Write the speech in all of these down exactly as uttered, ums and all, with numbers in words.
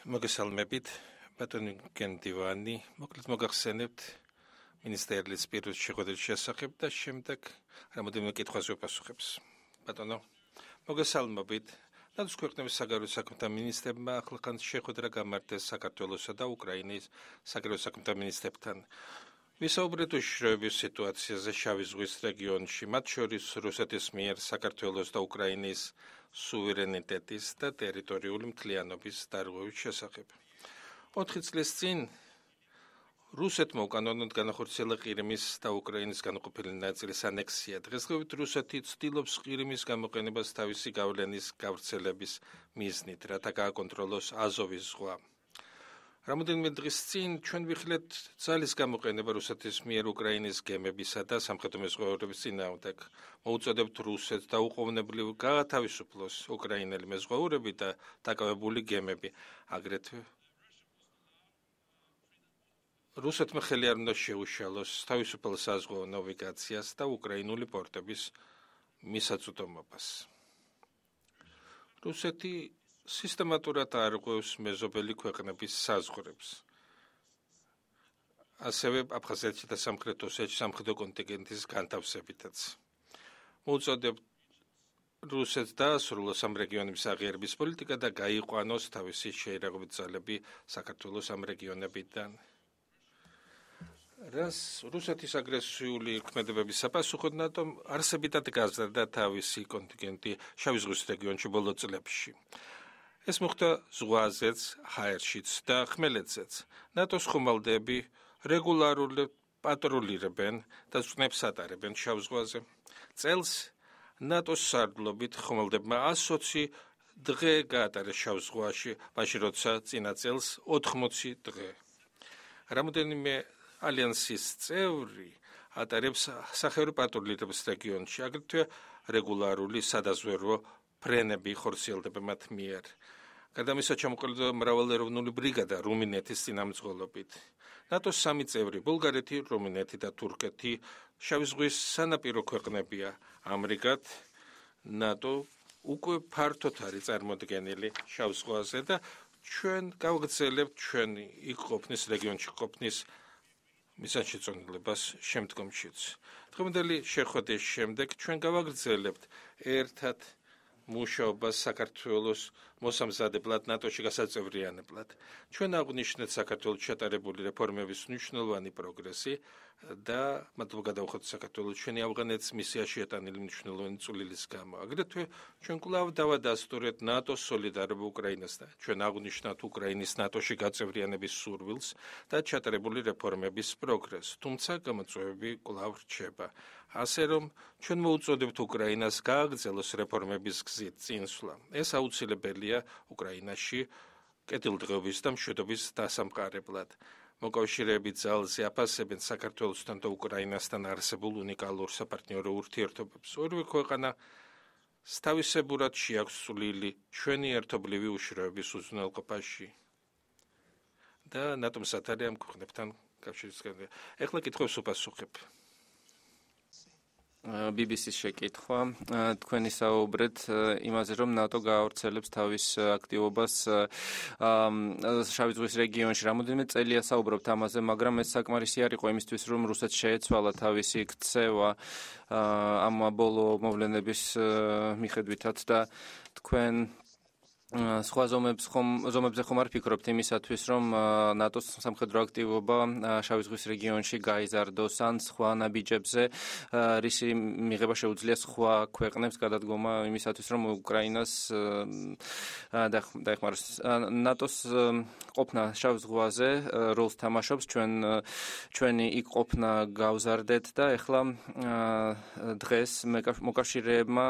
მოგესალმებით, ბატონი გენდივანი, მოკლედ მოგახსენებთ მინისტერიალის პირის შეხვედრის შესახებ და შემდეგ რამოდენიმე კითხვაზე ვაპასუხებს. ბატონო, მოგესალმებით. ნატოს ქვეყნების საგარეო საქმეთა მინისტრებმა ახლახან შეხვედრა გამართეს საქართველოსა და უკრაინის საგარეო საქმეთა მინისტრებთან. ვისაუბრეთ უშიშროების სიტუაციაზე შავი ზღვის რეგიონში, მათ შორის რუსეთის მიერ საქართველოს და უკრაინის სუვერენიტეტის და ტერიტორიული მთლიანობის დარღვევის შესახებ. ოთხი წლის წინ რუსეთმა უკანონოდ განახორციელა ყირიმის და უკრაინის განუყოფელი ნაწილის ანექსია. დღესდღეობით რუსეთი ცდილობს ყირიმის გამოყენებას თავისი გავლენის გავრცელების მიზნით, რათა გააკონტროლოს აზოვის ზღვა. რამოდენიმე დღის წინ ჩვენ ვიხილეთ ძალის გამოყენება რუსეთის მიერ უკრაინის გემებისა და სამხედრო მეზღვაურების წინააღმდეგ. მოუწოდებთ რუსეთს დაუყოვნებლივ გაათავისუფლოს უკრაინელი მეზღვაურები და დაკავებული გემები. აგრეთვე რუსეთმა ხელი არ უნდა შეუშალოს თავისუფალ საზღვაო ნავიგაციას და უკრაინული პორტების მისაწვდომობას. რუსეთი სისტემატურად არღვევს მეზობელი ქვეყნების საზღვრებს. ასევე აფხაზეთში და სამხრეთ ოსეთში სამხედრო კონტინგენტის განთავსებითაც. მოუწოდებთ რუსეთს დაასრულოს ამ რეგიონების აღიარების პოლიტიკა და გაიყვანოს თავისი შეიარაღებული ძალები საქართველოს ამ რეგიონებიდან. რას რუსეთის აგრესიული ქმედებების საპასუხოდ ნატომ არსებითად გაზარდა თავისი კონტინგენტი შავი ზღვის რეგიონში ბოლო წლებში. ეს მოხდა ზღვაზეც, ჰაერშიც და ხმელეთზეც. ნატოს ხომალდები რეგულარულად პატრულირებენ და წვნებს ატარებენ შავ ზღვაზე. წელს ნატოს სარდლობით ხომალდებმა ასოცი დღე გაატარეს შავ ზღვაში, მაშინ როცა წინა წელს ოთხმოცი დღე. რამოდენიმე ალიანსის წევრი ატარებს სახეობრივ პატრულირებას რეგიონში, აგრეთვე რეგულარული სადაზვერვო ფრენები ხორციელდება მათ მიერ. გარდა ამისა ჩამოყალიბდა მრავალეროვნული ბრიგადა რუმინეთის წინამძღოლობით. ნატოს სამი წევრი ბულგარეთი, რუმინეთი და თურქეთი შავი ზღვის სანაპირო ქვეყნებია. ამრიგად ნატო უკვე ფართოდ არის წარმოდგენილი შავ ზღვაზე და ჩვენ გავაგრძელებთ ჩვენი იქ ყოფნის რეგიონში ყოფნის მიზანშეწონილებას შემდგომშიც. დღევანდელი შეხვედრის შემდეგ ჩვენ გავაგრძელებთ ერთად მუშაობას საქართველოს მოსამზადებლად ნატოში გასაწევრიანებლად. ჩვენ აღვნიშნეთ საქართველოს ჩატარებული რეფორმების მნიშვნელოვანი პროგრესი და მადლობა გადავხოთ საქართველოს ჩვენი ავღანეთის მისიაში ეტანილი მნიშვნელოვანი წვლილის გამო. აგრეთვე ჩვენ კვლავ დავადასტურეთ ნატოს სოლიდარობა უკრაინასთან. ჩვენ აღვნიშნათ უკრაინის ნატოში გაწევრიანების სურვილს და ჩატარებული რეფორმების პროგრესს, თუმცა გამოწვევები კვლავ რჩება. ასე რომ ჩვენ მოუწოდებთ უკრაინას გააგრძელოს რეფორმების გზით წინსვლა. ეს აუცილებელია უკრაინაში კეთილდღეობის და მშვიდობის დასამყარებლად. მოკავშირეები ძალზე აფასებენ საქართველოსთან და უკრაინასთან არსებულ უნიკალურ საპარტნიორო ურთიერთობებს. ორივე ქვეყანა თავისებურად შეაქვს წვლილი ჩვენი ერთობლივი უშიშროების უზრუნველყოფაში და ნატომ სათარი ამ ქვეყნებთან კავშირისგან. ეხლა კითხვებს ვუპასუხებ. ბი ბი სის შეკითხვა. თქვენი საუბრეთ იმაზე, რომ ნატო გაავრცელებს თავის აქტივობას შავი ზღვის რეგიონში. რამოდენიმე წელია საუბრობთ ამაზე, მაგრამ ეს საკმარისი არ იყო იმისთვის, რომ რუსეთს შეეცვალა თავისი ქცევა ამ ბოლო მოვლენების მიხედვითაც და თქვენ სხვა ზომებს ხომ ზომებზე ხომ არ ფიქრობთ იმისათვის, რომ ნატოს სამხედრო აქტივობა შავი ზღვის რეგიონში გაიზარდოს ან სხვა ნაბიჯებზე, რისი მიღება შეუძლია სხვა ქვეყნებს გადადგომა იმისათვის, რომ უკრაინას დაეხმაროს. ნატოს ყოფნა შავ ზღვაზე როლს თამაშობს, ჩვენ ჩვენი იქ ყოფნა გავზარდეთ და ეხლა დღეს მოკავშირეებმა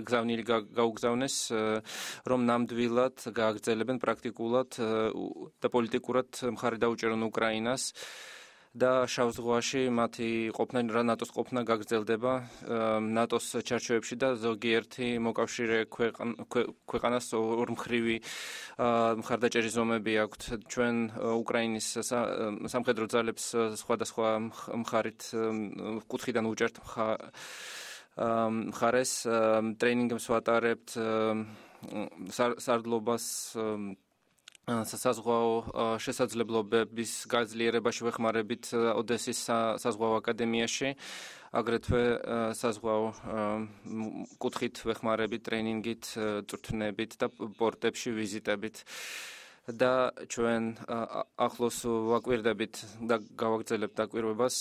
გზავნილი გაუგზავნეს, რომ ნამდვილად გააგრძელებენ პრაქტიკულად და პოლიტიკურად მხარი დაუჭერონ უკრაინას და შავ ზღვაში მათი ყოფნა ნატოს ყოფნა გაგრძელდება ნატოს ჩარჩოებში და ზოგიერთი მოკავშირე ქვეყანას ორმხრივი მხარდაჭერის ზომები აქვთ. ჩვენ უკრაინის სამხედრო ძალებს სხვადასხვა მხარით კუთხიდან უჭერთ მხარეს, ტრეინინგებს ვატარებთ, სარდლობას საზღვაო შესაძლებლობების გაძლიერებაში ვეხმარებით ოდესის საზღვაო აკადემიაში, აგრეთვე საზღვაო კუთხით ვეხმარებით ტრენინგით, წვრთნებით და პორტებში ვიზიტებით. და ჩვენ ახლოს ვაკვირდებით და გავაგრძელებთ დაკვირვებას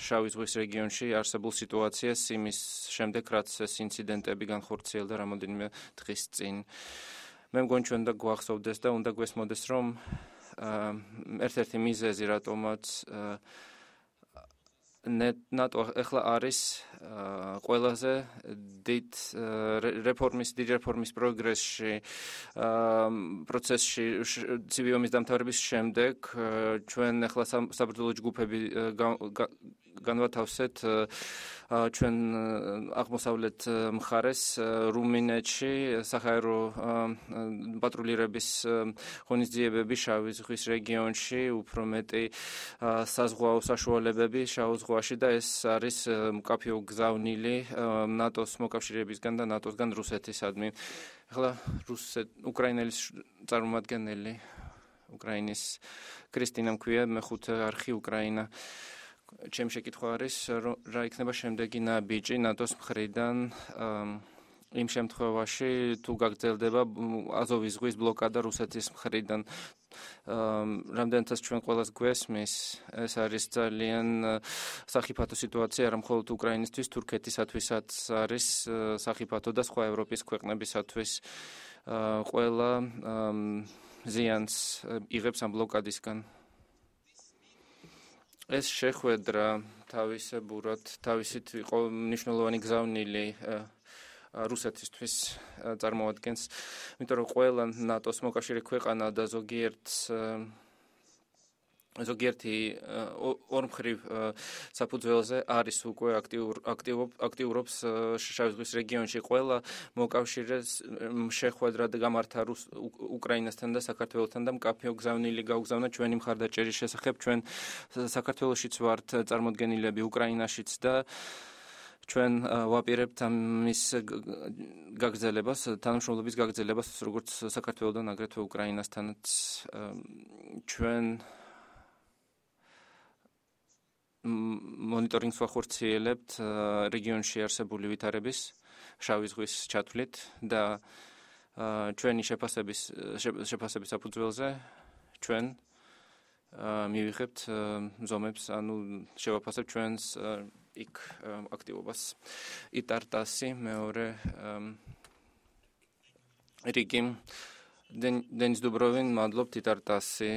შავი ზღვის რეგიონში არსებულ სიტუაციას იმის შემდეგ, რაც ეს ინციდენტები განხორციელდა რამოდენიმე დღის წინ. მე მგონი ჩვენ და გვახსოვდეს და უნდა გვესმოდეს, რომ ერთ-ერთი მიზეზი, რატომაც ნატო ახლა არის ყველაზე დიდ რეფორმის დიდ რეფორმის პროგრესში პროცესში ცივი ომის დამთავრების შემდეგ ჩვენ ახლა საბრძოლო ჯგუფები განვათავსეთ ჩვენ აღმოსავლეთ მხარეს რუმინეთში საჰაერო პატრულირების ღონისძიებები შავი ზღვის რეგიონში უფრო მეტი საზღვაო საშუალებები შავ ზღვაში და ეს არის მკაფიო გზავნილი ნატოს მოკავშირეებისგან და ნატოსგან რუსეთისადმი. ახლა რუსეთ უკრაინელის წარმომადგენელი უკრაინის კრისტინა მქვია მეხუთე არხი უკრაინა. ჩემი შეკითხვა არის რა იქნება შემდეგი ნაბიჯი ნატოს მხრიდან იმ შემთხვევაში თუ გაგრძელდება აზოვის ზღვის ბლოკადა რუსეთის მხრიდან. რამდენადაც ჩვენ ყველას გვესმის, ეს არის ძალიან სახიფათო სიტუაცია არა მხოლოდ უკრაინისთვის, თურქეთისათვისაც არის სახიფათო და სხვა ევროპის ქვეყნებისათვის. ყველა ზიანს იღებს ამ ბლოკადისგან. ეს შეხვედრა თავისებურად თავისით იყო მნიშვნელოვანი გზავნილი რუსეთისთვის წარმოადგენს, იმიტომ რომ ყველა ნატოს მოკავშირე ქვეყანა და ზოგიერთ ზოგიერთი ორმხრივ საფუძველზე არის უკვე აქტიურობს შავი ზღვის რეგიონში. ყველა მოკავშირეს შეხვედრა გამართა უკრაინასთან და საქართველოსთან და მკაფიო გზავნილი გაუგზავნა ჩვენი მხარდაჭერის შესახებ. ჩვენ საქართველოშიც ვართ წარმოდგენილები უკრაინაშიც და ჩვენ ვაპირებთ ამის გაგრძელებას, თანამშრომლობის გაგრძელებას როგორც საქართველოსთან, აგრეთვე უკრაინასთანაც. ჩვენ მონიტორინგს ვახორციელებთ რეგიონში არსებული ვითარების შავი ზღვის ჩათვლით და ჩვენი შეფასების შეფასების საფუძველზე ჩვენ მივიღებთ ზომებს, ანუ შევაფასებთ ჩვენს იქ აქტივობას. იტარტასი მეორე რიგი დენის დუბროვინ, მადლობთ იტარტასი.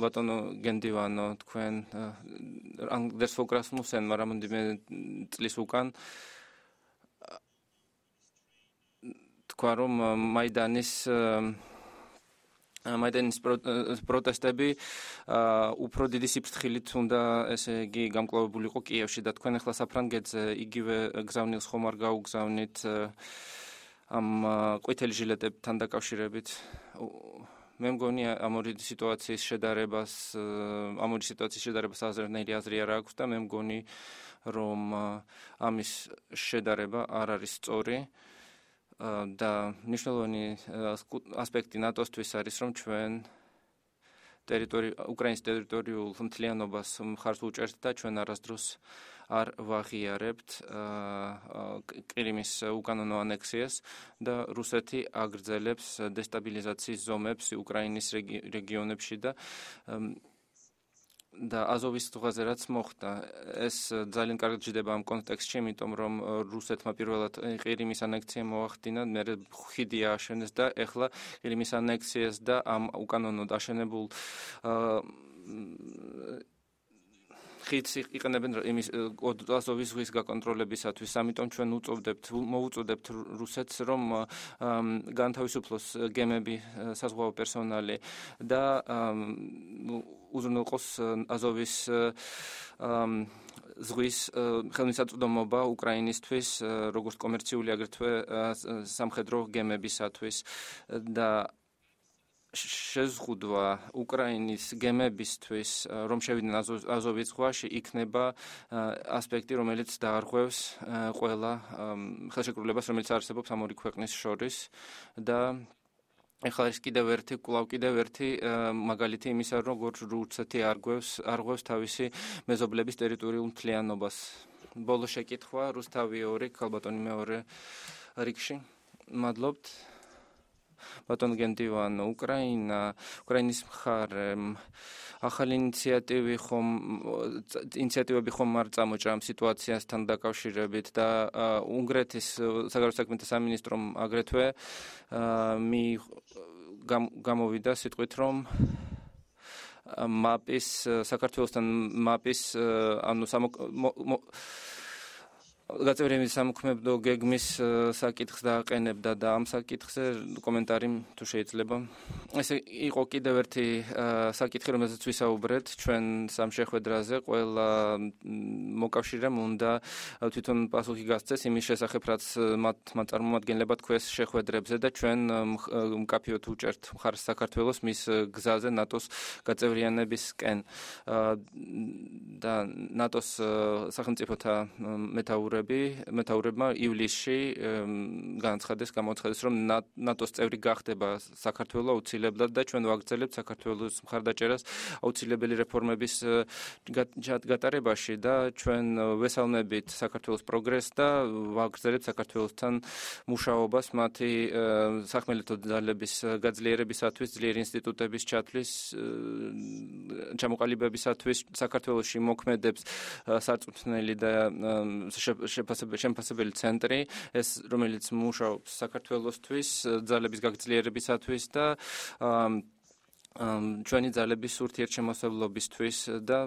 ბატონო გენდივანო, თქვენ ანდერს ფოკრასმუსენმა რამოდენიმე წლის უკან თქვა, რომ მაიდანის მაიდანის პროტესტები უფრო დიდი სიფრთხილით უნდა ესე იგი გამკლავებულიყო კიევში და თქვენ ახლა საფრანგეთზე იგივე გზავნილს ხომ არ გაუგზავნით ამ ყვითელი ჟილეტებთან დაკავშირებით. მე მგონი ამ ორი სიტუაციის შედარებას ამ ორი სიტუაციის შედარებას აზროვნელი აზრი არ აქვს და მე მგონი რომ ამის შედარება არ არის სწორი. და მნიშვნელოვანი ასპექტი ნატოსთვის არის, რომ ჩვენ უკრაინის ტერიტორიულ მთლიანობას მხარს უჭერთ და ჩვენ არასდროს არ ვაღიარებთ ყირიმის უკანონო ანექსიას და რუსეთი აგრძელებს დესტაბილიზაციის ზომებს უკრაინის რეგიონებში და და აზოვის ზღვაზე რაც მოხდა, ეს ძალიან კარგად ჯდება ამ კონტექსტში, იმიტომ რომ რუსეთმა პირველად ყირიმის ანექსია მოახდინა, მერე ხიდი ააშენეს და ეხლა ყირიმის ანექსიას და ამ უკანონოდ აშენებულ ხიდს იყენებენ იმის აზოვის ზღვის გაკონტროლებისათვის. ამიტომ ჩვენ უწევდებთ მოუწოდებთ რუსეთს, რომ განთავისუფლოს გემები, საზღვაო პერსონალი და უზრუნველყოს აზოვის ზღვის ხელმისაწვდომობა უკრაინისთვის, როგორც კომერციული, აგრეთვე სამხედრო გემებისათვის და შეზღუდვა უკრაინის გემებისთვის, რომ შევიდნენ აზოვის ზღვაში, იქნება ასპექტი, რომელიც დაარღვევს ყველა ხელშეკრულებას, რომელიც არსებობს ამ ორი ქვეყნის შორის და ეხლა ის კიდევ ერთი კვლავ კიდევ ერთი მაგალითი იმისა, რომ როგორ რუსეთი არგვევს არღვევს თავისი მეზობლების ტერიტორიულ მთლიანობას. ბოლო შეკითხვა რუსთავი ორი, ქალბატონი მეორე რიგში. მადლობთ. ბატონ გენდივან, უკრაინა, უკრაინის მხარე ახალი ინიციატივი ხომ ინიციატივები ხომ არ წამოჭრა ამ სიტუაციასთან დაკავშირებით და უნგრეთის საგარეო საქმეთა სამინისტრომ აგრეთვე მი გამოვიდა სიტყვით რომ მაპის საქართველოსთან მაპის ანუ გაწევრიანების სამოქმედო გეგმის საკითხს დააყენებდა და ამ საკითხზე კომენტარი თუ შეიძლება. ეს იყო კიდევ ერთი საკითხი, რომელზეც ვისაუბრეთ ჩვენ სამ შეხვედრაზე. ყველა მოკავშირემ უნდა თვითონ პასუხი გასცეს იმის შესახებ, რაც მათ წარმომადგენლებად ქვეს შეხვედრებზე და ჩვენ მკაფიოდ უჭერთ მხარს საქართველოს მის გზაზე ნატოს გაწევრიანებისკენ და ნატოს სახელმწიფოთა მეთაურები მეთაურებმა ივლისში განაცხადეს გამოცხადეს რომ ნატოს წევრი გახდება საქართველო აუცილებლად და ჩვენ ვაგრძელებთ საქართველოს მხარდაჭერას აუცილებელი რეფორმების გატარებაში და ჩვენ ვესალმებით საქართველოს პროგრესს და ვაგრძელებთ საქართველოსთან მუშაობას მათი სახმელეთო ძალების გაძლიერებისათვის, ძლიერი ინსტიტუტების ჩათვლის ჩამოყალიბებისათვის საქართველოში მოქმედებს სარწმუნოელი და შეფასებელი ცენტრი, ეს რომელიც მუშაობს საქართველოსთვის, ძალების გაგძლიერებისათვის და ჩვენი ძალების ურთიერთშემოსავლობისთვის და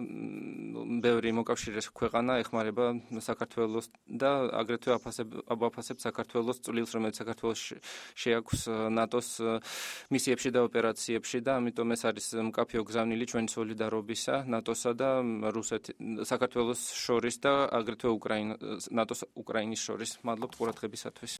ბევრი მოკავშირე ქვეყანა ეხმარება საქართველოს და აგრეთვე აფასებს საქართველოს წვლილს, რომელიც საქართველოს შეაქვს ნატოს მისიებში და ოპერაციებში და ამიტომ ეს არის მკაფიო გზავნილი ჩვენი სოლიდარობისა ნატოსა და რუსეთის საქართველოს შორის და აგრეთვე უკრაინა ნატოს უკრაინის შორის. მადლობთ ყურადღებისათვის.